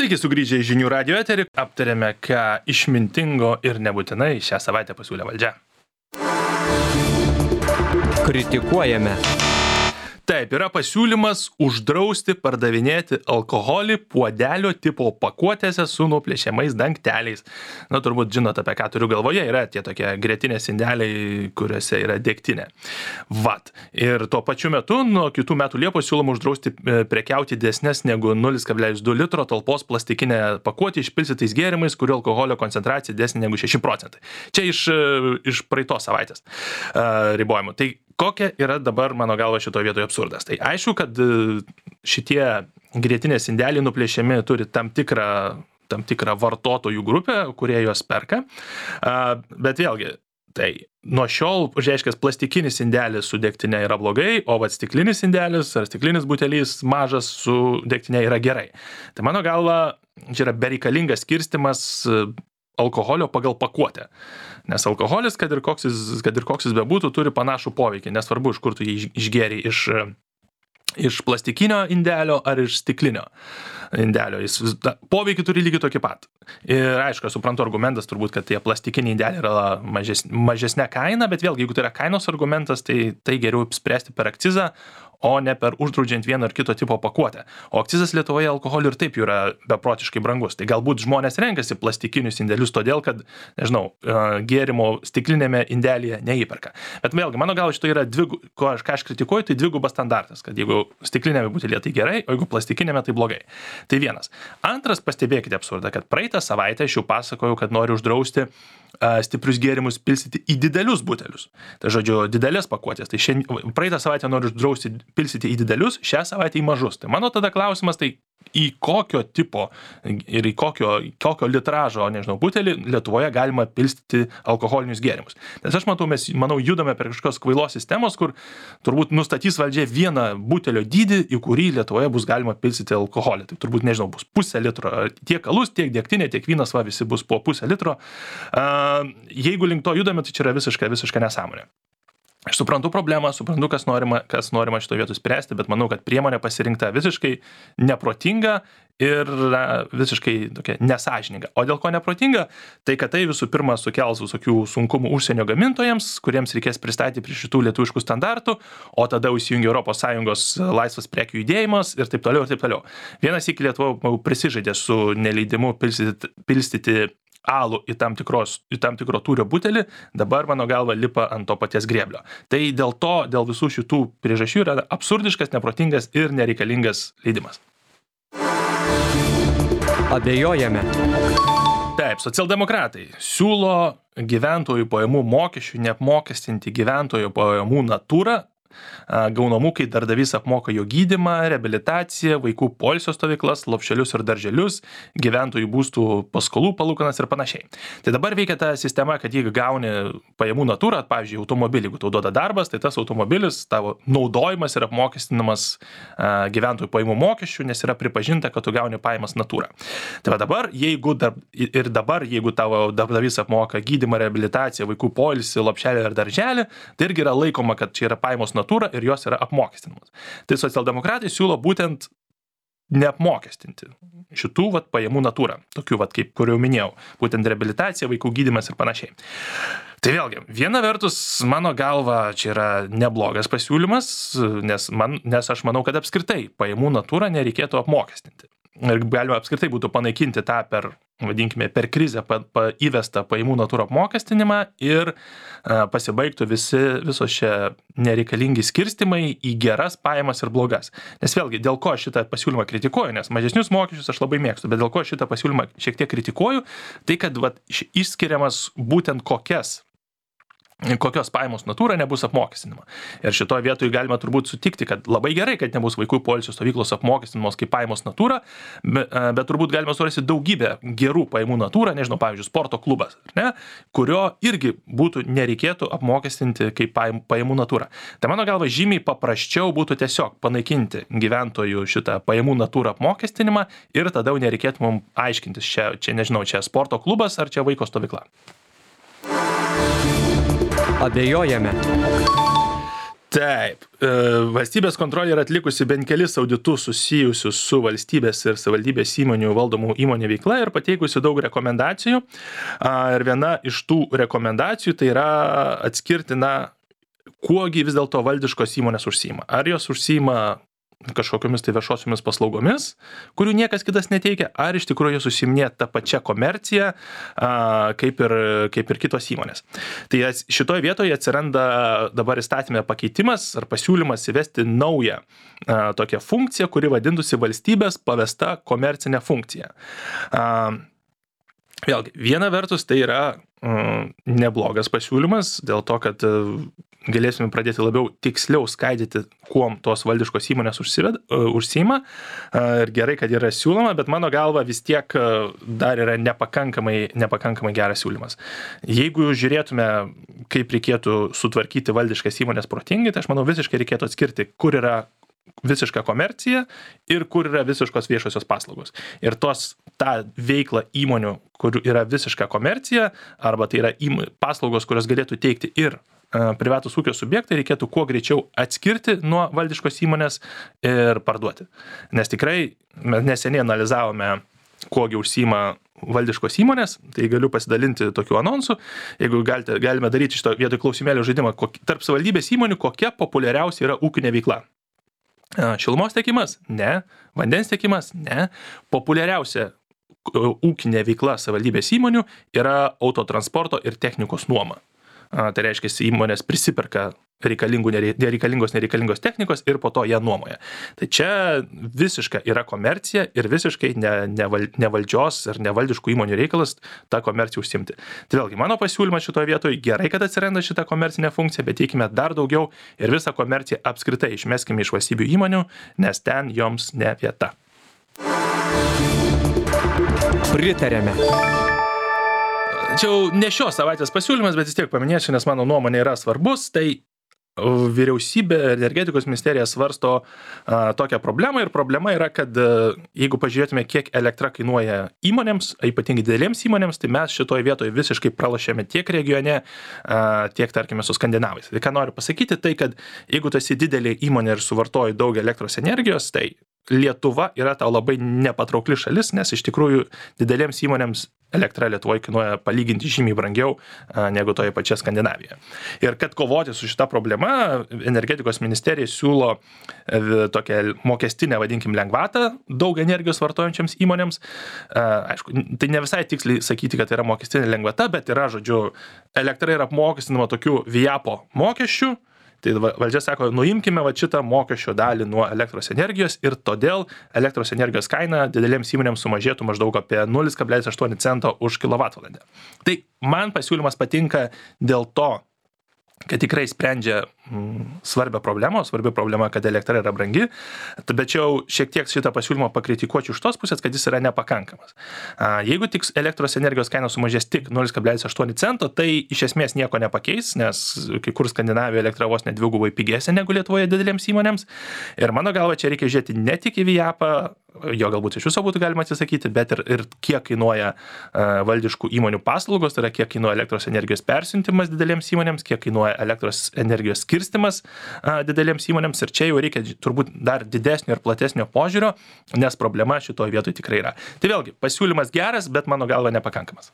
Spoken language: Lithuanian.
Sveiki sugrįžę į žinių radio eterį. Aptarėme, ką išmintingo ir nebūtinai šią savaitę pasiūlė valdžia. Kritikuojame. Taip, yra pasiūlymas uždrausti pardavinėti alkoholį puodelio tipo pakuotėse su nuplėšiamais dangteliais. Na, turbūt žinot, apie ką turiu galvoje, yra tie tokie grietinės indeliai, kuriuose yra degtinė. Vat. Ir tuo pačiu metu, nuo kitų metų Liepos siūloma uždrausti prekiauti didesnės negu 0,2 litro talpos plastikinę pakuotę išpilstytais gėrimais, kurių alkoholio koncentracija didesnė negu 6%. Čia iš praeitos savaitės ribojimų. Tai kokia yra dabar, mano galva, šitoje vietoje absurdas? Tai aišku, kad šitie grietinės indeliai nuplėšiami turi tam tikrą vartotojų grupę, kurie juos perka. Bet vėlgi, tai nuo šiol, reiškia, plastikinis indelis su degtinė yra blogai, o stiklinis indelis ar stiklinis butelys mažas su degtinė yra gerai. Tai mano galva, čia yra bereikalingas skirstimas alkoholio pagal pakuotę. Nes alkoholis, kad ir koks jis bebūtų, turi panašų poveikį. Nesvarbu, iš kur tu jį išgėri, iš plastikinio indelio ar iš stiklinio indelio. Jis poveikį turi lygiai tokį pat. Ir aišku, suprantu argumentas turbūt, kad tie plastikiniai indeliai yra mažesnė kaina, bet vėlgi, jeigu tai yra kainos argumentas, tai geriau spręsti per akcizą, o ne per uždraudžiant vieno ar kito tipo pakuotę. O akcizas Lietuvoje alkoholių ir taip yra beprotiškai brangus. Tai galbūt žmonės renkasi plastikinius indelius todėl, kad, nežinau, gėrimo stiklinėme indelyje neįperka. Bet vėlgi, mano galva, šito yra ką aš kritikuoju, tai dvigubas standartas, kad jeigu stiklinėme butelėje tai gerai, o jeigu plastikinėme tai blogai. Tai vienas. Antras, pastebėkite absurdą, kad praeitą savaitę aš jau pasakojau, kad noriu uždrausti stiprius gėrimus pilstyti į didelius butelius. Tai žodžiu, didelės pakuotės. Tai praeitą savaitę noriu uždrausti pilstyti į didelius, šią savaitę į mažus. Tai mano tada klausimas, tai į kokio tipo ir į kokio litražo, nežinau, butelį Lietuvoje galima pilstyti alkoholinius gėrimus. Nes aš mes, judame per kažkokios kvailos sistemos, kur turbūt nustatys valdžia vieną butelio dydį, į kurį Lietuvoje bus galima pilstyti alkoholį. Tai turbūt, nežinau, bus pusę litro. Tiek alus, tiek degtinė, tiek vynas, visi bus po pusę litro. Jeigu link to judame, tai čia yra visiška nesąmonė. Aš suprantu problemą, suprantu, kas norima šito vietų spręsti, bet manau, kad priemonė pasirinkta visiškai neprotinga ir visiškai tokia nesąžininga. O dėl ko neprotinga? Tai, kad tai visų pirma sukels visokių sunkumų užsienio gamintojams, kuriems reikės pristatyti prie šitų lietuviškų standartų, o tada įsijungia ES laisvas prekių judėjimas ir taip toliau, ir taip toliau. Vienas iki Lietuva prisižaidė su neleidimu pilstyti alų į tam tikro tūrio butelį, dabar, mano galva, lipa ant to paties grėblio. Tai dėl visų šitų priežasčių yra absurdiškas, neprotingas ir nereikalingas leidimas. Abejojame. Taip, socialdemokratai siūlo gyventojų pajamų mokesčių neapmokestinti gyventojų pajamų natūrą, gaunamų, kai darbdavys apmoka jo gydymą, reabilitaciją, vaikų poilsio stovyklas, lopšelius ir darželius, gyventojų būstų paskolų palūkanas ir panašiai. Tai dabar veikia ta sistema, kad jeigu gauni pajamų natūrą, pavyzdžiui, automobilį, jeigu tau duoda darbas, tai tas automobilis, tavo naudojimas yra apmokestinamas gyventojų pajamų mokesčių, nes yra pripažinta, kad tu gauni pajamas natūrą. Tai dabar, jeigu tavo darbdavys apmoka gydymą, reabilitaciją, vaikų poilsį, lopšelį ir darželį, tai irgi yra laikoma, kad čia yra pajamos natūra ir jos yra apmokestinamos. Tai socialdemokratai siūlo būtent neapmokestinti šitų pajamų natūrą, tokių kaip kur jau minėjau, būtent reabilitacija, vaikų gydymas ir panašiai. Tai vėlgi, viena vertus, mano galva, čia yra neblogas pasiūlymas, nes aš manau, kad apskritai pajamų natūrą nereikėtų apmokestinti. Ir galima apskritai būtų panaikinti tą per krizę įvestą pajamų natūrą apmokestinimą ir pasibaigtų visos šie nereikalingi skirstimai į geras pajamas ir blogas. Nes vėlgi, dėl ko šitą pasiūlymą kritikuoju, nes mažesnius mokesčius aš labai mėgstu, bet dėl ko šitą pasiūlymą šiek tiek kritikuoju, tai kad išskiriamas būtent kokios pajamos natūra nebus apmokestinama. Ir šitoje vietoje galima turbūt sutikti, kad labai gerai, kad nebus vaikų poilsio stovyklos apmokestinamos kaip pajamos natūra, bet turbūt galima surasti daugybę gerų pajamų natūra, nežinau, pavyzdžiui, sporto klubas, kurio irgi nereikėtų apmokestinti kaip pajamų natūra. Tai mano galva žymiai paprasčiau būtų tiesiog panaikinti gyventojų šitą pajamų natūrą apmokestinimą ir tada jau nereikėtų mums aiškintis, čia sporto klubas ar čia vaiko stovykla. Abejojame. Taip, valstybės kontrolė yra atlikusi bent kelis auditus susijusius su valstybės ir savivaldybės įmonių valdomų įmonių veikla ir pateikusi daug rekomendacijų. Ir viena iš tų rekomendacijų tai yra atskirti, kuogi vis dėlto valdiškos įmonės užsiima. Ar jos užsiima kažkokiamis tai viešosiomis paslaugomis, kurių niekas kitas neteikia, ar iš tikrųjų jos užsiiminėja tą pačią komerciją, kaip ir kitos įmonės. Tai šitoje vietoje atsiranda dabar įstatymė pakeitimas ar pasiūlymas įvesti naują tokią funkciją, kuri vadintųsi valstybės pavesta komercinė funkcija. Vėlgi, viena vertus tai yra neblogas pasiūlymas, dėl to, kad galėsime pradėti labiau tiksliau skaidyti, kuom tos valdiškos įmonės užsiima. Ir gerai, kad yra siūloma, bet mano galva vis tiek dar yra nepakankamai geras siūlymas. Jeigu žiūrėtume, kaip reikėtų sutvarkyti valdiškas įmonės protingai, tai aš manau visiškai reikėtų atskirti, kur yra visiška komercija ir kur yra visiškos viešosios paslaugos. Ir tą veiklą įmonių, kur yra visiška komercija, arba tai yra paslaugos, kurios galėtų teikti ir privatus ūkio subjektai, reikėtų kuo greičiau atskirti nuo valdiškos įmonės ir parduoti. Nes tikrai mes neseniai analizavome, kuogi užsiima valdiškos įmonės, tai galiu pasidalinti tokių anonsų. Jeigu galime daryti šito vietoj klausimėlio žaidimą, tarp savivaldybės įmonių kokia populiariausia yra ūkinė veikla. Šilumos tiekimas? Ne. Vandens tiekimas? Ne. Populiariausia ūkinė veikla savivaldybės įmonių yra autotransporto ir technikos nuoma. Tai reiškia, įmonės prisiperka nereikalingos technikos ir po to ją nuomoja. Tai čia visiška yra komercija ir visiškai ne valdžios ir nevaldiškų įmonių reikalas tą komerciją užsiimti. Tai vėlgi, mano pasiūlymas šitoje vietoje gerai, kad atsiranda šitą komercinę funkciją, bet teikime dar daugiau ir visą komerciją apskritai išmeskime iš valstybių įmonių, nes ten joms ne vieta. Pritarėme. Čia ne šios savaitės pasiūlymas, bet vis tiek paminėsiu, nes mano nuomonė yra svarbus. Tai vyriausybė, energetikos ministerija svarsto tokią problemą ir problema yra, kad jeigu pažiūrėtume, kiek elektra kainuoja įmonėms, ypatingai didelėms įmonėms, tai mes šitoje vietoje visiškai pralošėme tiek regione, tiek, tarkime, su skandinavais. Tai ką noriu pasakyti, tai kad jeigu tu esi didelė įmonė ir suvartoji daug elektros energijos, tai Lietuva yra tau labai nepatraukli šalis, nes iš tikrųjų didelėms įmonėms elektra Lietuvoje kainuoja palyginti žymiai brangiau negu toje pačioje Skandinavijoje. Ir kad kovoti su šita problema, energetikos ministerija siūlo tokią mokestinę, vadinkim, lengvatą daug energijos vartojančiams įmonėms. Aišku, tai ne visai tiksliai sakyti, kad tai yra mokestinė lengvata, bet yra, žodžiu, elektra yra apmokestinama tokių VIAPO mokesčių. Tai valdžia sako, nuimkime šitą mokesčio dalį nuo elektros energijos ir todėl elektros energijos kaina didelėms įmonėms sumažėtų maždaug apie 0,8 cento už kilovatvalandę. Tai man pasiūlymas patinka dėl to, kad tikrai sprendžia svarbi problema, kad elektra yra brangi, bet jau šiek tiek šitą pasiūlymą pakritikuočiau iš tos pusės, kad jis yra nepakankamas. Jeigu tik elektros energijos kaina sumažės tik 0,8 cento, tai iš esmės nieko nepakeis, nes kai kur Skandinavijoje elektra vos net dvigubai pigesnė negu Lietuvoje didelėms įmonėms. Ir mano galva, čia reikia žiūrėti ne tik į VIAPą, jo galbūt iš viso būtų galima atsisakyti, bet ir kiek kainuoja valdiškų įmonių paslaugos, tai yra kiek kainuoja elektros energijos persiuntimas didelėms įmonėms, kiek kainuoja elektros energijos skirstimas didelėms įmonėms. Ir čia jau reikia turbūt dar didesnio ir platesnio požiūrio, nes problema šitoje vietoje tikrai yra. Tai vėlgi, pasiūlymas geras, bet mano galva nepakankamas.